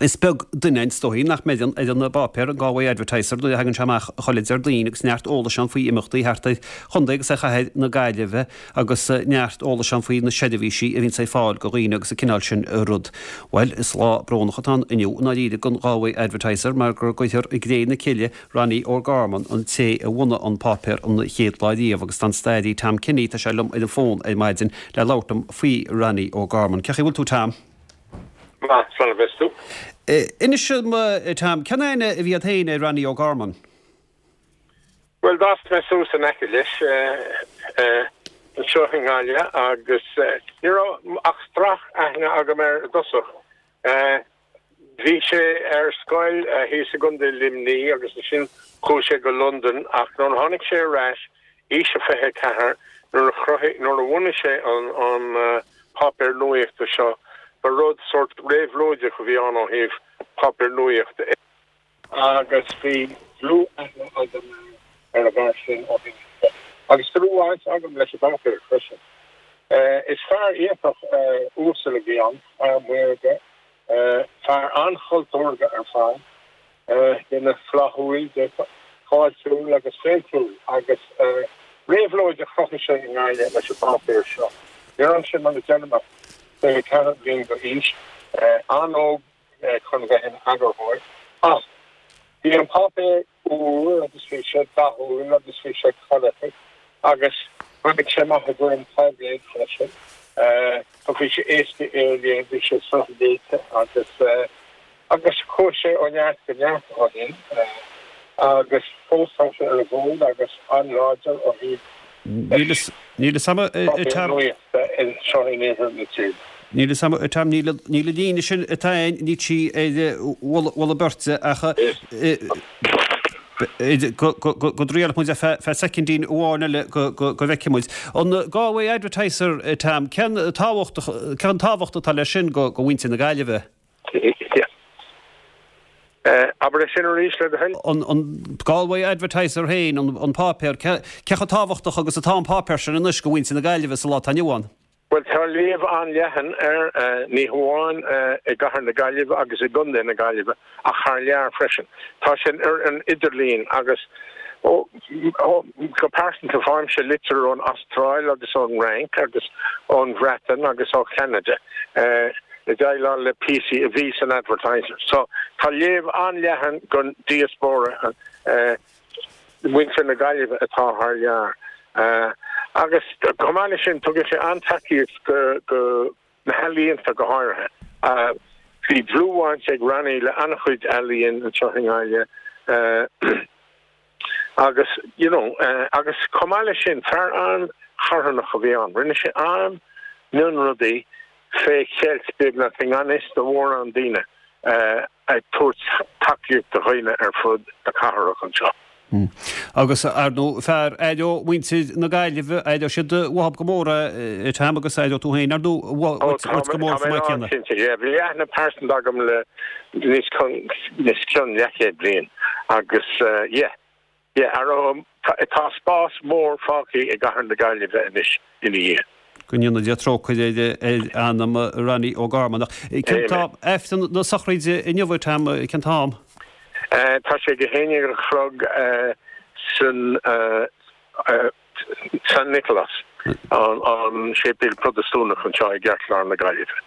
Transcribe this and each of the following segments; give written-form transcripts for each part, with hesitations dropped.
Is beag duine, is dóichí, nach mbeidh ar an bpáipéar, an Galway Advertiser, nuair a thagann sé amach chuile Déardaoin agus neart eolais ann faoi imeachtaí thart ar chontae agus ar chathair na Gaillimhe agus neart eolais ann faoi na seirbhísí a bhíonns ar fáil go dhaoine agus an cineál sin rud. Bhuel, is lá brónach atá ann inniu i ndáiríre don Galway Advertiser mar go gcuirfear i gcré na cille Ronnie O'Gorman, an té a bhunaigh an páipéar an chéad lá riamh agus tá an staraí Tom Kenny, tá sé liom ar an bhfón ar maidin le labhairt liom faoi Ronnie O'Gorman. Cén chaoi a bhfuil tú Tom? Maith, slán a bheas tú. Inis dom, a Tom, cén aithne a bhí agat féin ar Ronnie O'Gorman? Bhuel, d'fhás mé suas in aice leis anseo i nGaillimh agus ní raibh ach strac-aithne agam air i dtosach. Bhí sé ar scoil thíos i gContae Luimnigh agus ansin chuaigh sé go Londain ach nuair a tháinig sé ar ais, aois a 24, nuair a chruthaigh, nuair a bhunaigh sé an an páipéar nuaíochta seo, ba rud sórt réabhlóideach a bhí ann ó thaobh páipéar nuaíochta, agus bhí dlúth-aithne agam ar an bhfear sin ó shin i leith. Agus dlúth-bhaint agam leis an bpáipéar freisin. Is fear iontach uasal a bhí ann, fear maorga, fear an-chultúrtha ar fad. Duine flaithiúil, fáiltiúil agus féiltiúil agus réabhlóid a chruthaigh sé i nGaillimh leis an bpáipéar seo. Ní raibh sé, mar a deirim, ach 24 bliain d'aois, an-óg chun bheith ina eagarthóir, ach bhí an páipéar úr agus bhí sé dathúil agus bhí sé corraitheach agus tháinig sé amach i bhfoirm táibléid freisin. Bhí sé éasca é a léamh, bhí sé sraithléite agus. Agus chuaigh sé ó neart go neart ó shin agus fós tá sé ar an bhfód agus an-láidir ó thaobh Níl fhios a'm páipéar nuachta anseo in iarthar na tíre. Níl fhios a'm a Tom, níl an líne sin atá a'inn, níl sí ar mholadh beirte ach go dtriailfidh muid ar feadh soicindín amháin eile go bhfeicfidh muid. An Galway Advertiser, Tom, cén tábhacht atá leis sin go mhuintir na Gaillimhe? Abair é sin arís, le do thoil. An Galway Advertiser féin, an páipéar, cé chomh tábhachtach agus atá an páipéar sin anois go mhuintir na Gaillimhe sa lá atá inniu ann? Bhuel, tá léamh an-leathan air, ní hamháin i gcathair na Gaillimhe agus i gcontae na Gaillimhe ach thar lear freisin. Tá sé ar an idirlíon agus go pearsanta faighimse litir ón Astráil agus ón Fhrainc agus ón Bhreatain agus ó Cheanada. ag déileáil le píosaí a bhí san Advertiser. So, tá léamh an-leathan don diaspóra, muintir na Gaillimhe atá thar lear. Agus chomh maith leis sin, tugann sé an-tacaíocht go na healaíonta go háirithe. Bhí dlúthbhaint ag Ronnie le an-chuid ealaíon anseo i nGaillimh. Agus, you know, agus chomh maith leis sin, fear an-charthanach a bhí ann. Rinne sé an-mhionrudaí fé cheilt beagnach i ngan fhios do mhórán daoine, ag tabhairt tacaíocht do dhaoine ar fud na cathrach anseo. Agus, ar ndóigh, fear aireoidh muintir na Gaillimhe, aireoidh siad uathu go mór é, Tom, agus aireoidh tú féin, ar ndóigh, uait go mór chomh maith céanna. Cinnte, yeah. Bhí aithne pearsanta agam le níos cionn leathchéad bliain agus, yeah, yeah, tá spás mór fágtha i gcathair na Gaillimhe anois ina dhiaidh. Go ndéana Dia trócaire ar anam Ronnie O'Gorman. Ach cén t-am, Aifreann na sochraide inniu, Tom, cén t-am? Tá sé ag a haon déag a chlog san San Nicholas, an séipéal Protastúnach anseo i gceartlár na Gaillimhe.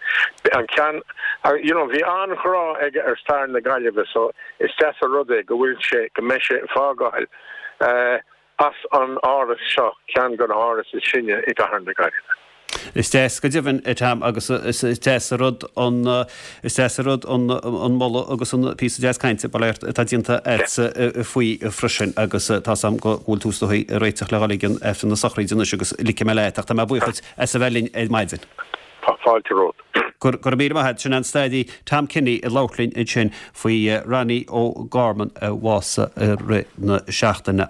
An ceann, you know, bhí an-ghrá aige ar stair na Gaillimhe so is deas an rud é go bhfuil sé, go mbeidh sé ag fágáil as an áras seo, ceann de na hárais is sine i gcathair na Gaillimhe. Is deas go deimhin, a Tom, agus is deas an rud an, is deas an rud an moladh agus an píosa deas cainte, bail ort, atá déanta agatsa faoi freisin agus tá's a'm go bhfuil tú is dóigh ag réiteach le dhul ag an Aifreann na sochraide anois agus ligfidh mé leat ach tá mé buíoch duit as a bheith linn ar maidin. Tá fáilte romhat. Go raibh míle maith agat. Sin an staraí Tom Kenny ag labhairt linn ansin faoi Ronnie O'Gorman a bhásaigh i rith na seachtaine.